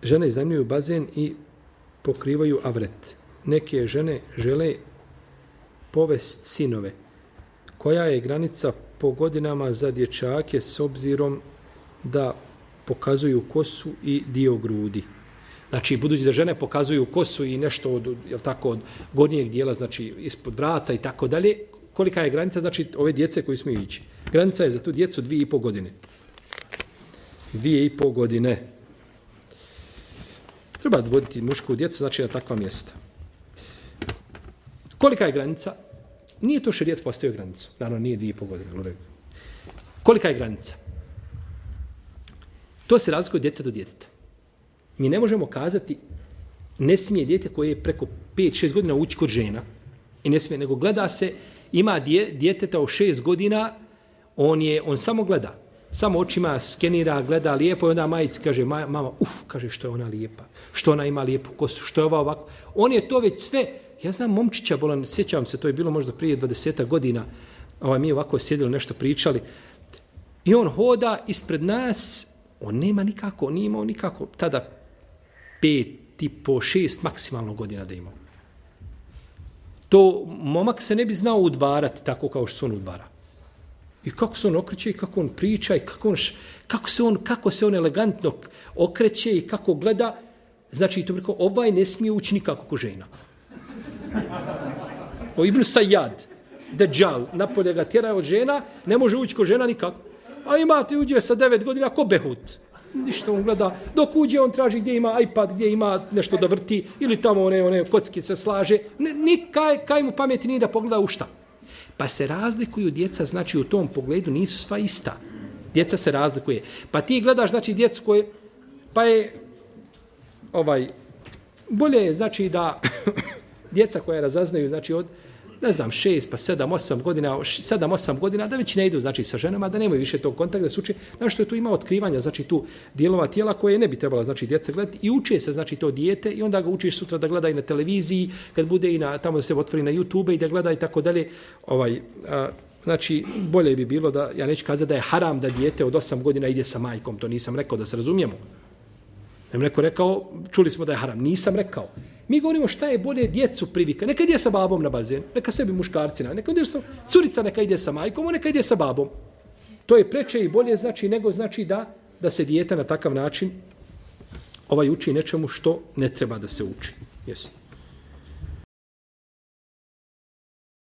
žene iznajmljuju bazen i pokrivaju avret. Neke žene žele povest sinove. Koja je granica po godinama za dječake s obzirom da pokazuju kosu i dio grudi? Znači, budući da žene pokazuju kosu i nešto od, jel tako, od gornjeg dijela, znači ispod vrata i tako dalje, kolika je granica, znači, ove djece koji smiju ići? Granica je za tu djecu 2,5 godine. 2,5 godine. Treba voditi mušku djecu, znači, na takva mjesta. Kolika je granica? Nije to šerijet postavio granicu. Naravno, nije 2,5 godine. Kolika je granica? To se razlikuje od djeteta do djeteta. Mi ne možemo kazati, ne smije dijete koje je preko 5-6 godina ući kod žena. I ne smije, nego gleda se, ima djeteta od 6 godina, on samo gleda. Samo očima skenira, gleda lijepo i onda majici kaže, mama, kaže što je ona lijepa, što ona ima lijepu kosu, što je ova ovako. On je to već sve, ja znam momčića bolan, sjećam se, to je bilo možda prije 20 godina, mi ovako sjedili, nešto pričali, i on hoda ispred nas, on nema nikako, nije imao nikako, tada 5, 6 maksimalno godina da imao. To momak se ne bi znao udvarati tako kao što se on udvara. I kako se on okreće i kako on priča i kako se on elegantno okreće i kako gleda. Znači, to preko, ovaj ne smije ući nikako ko žena. O Ibn Sajjad, Dejjal, napolje ga tjera od žena, ne može ući ko žena nikako. A imate uđe sa 9 godina ko Behut. Ništa on gleda. Dok uđe, on traži gdje ima iPad, gdje ima nešto da vrti, ili tamo one kocki se slaže. Kaj mu pameti nije da pogleda u šta. Pa se razlikuju djeca, znači u tom pogledu nisu sva ista. Djeca se razlikuje. Pa ti gledaš, znači, djecu koje, pa je, bolje je, znači, da djeca koja razaznaju, znači, od, ne znam, 6, pa 7-8 godina, da već ne idu, znači, sa ženama, da nemaju više tog kontakta, da se uče, znači, što je tu ima otkrivanja, znači, tu dijelova tijela koje ne bi trebala, znači, djeca gledati i uče se, znači, to dijete i onda ga učiš sutra da gleda i na televiziji, kad bude i tamo da se otvori na YouTube i da gleda i tako dalje, znači, bolje bi bilo da, ja neću kazati da je haram da dijete od 8 godina ide sa majkom, to nisam rekao, da se razumijemo. Ne neko rekao, čuli smo da je haram, nisam rekao. Mi govorimo šta je bolje djecu privika. Neka ide sa babom na bazen, neka sebi muškarci, neka ide sa curica, neka ide sa majkom, neka ide sa babom. To je preče i bolje znači nego znači da se dijete na takav način uči nečemu što ne treba da se uči. Jesi.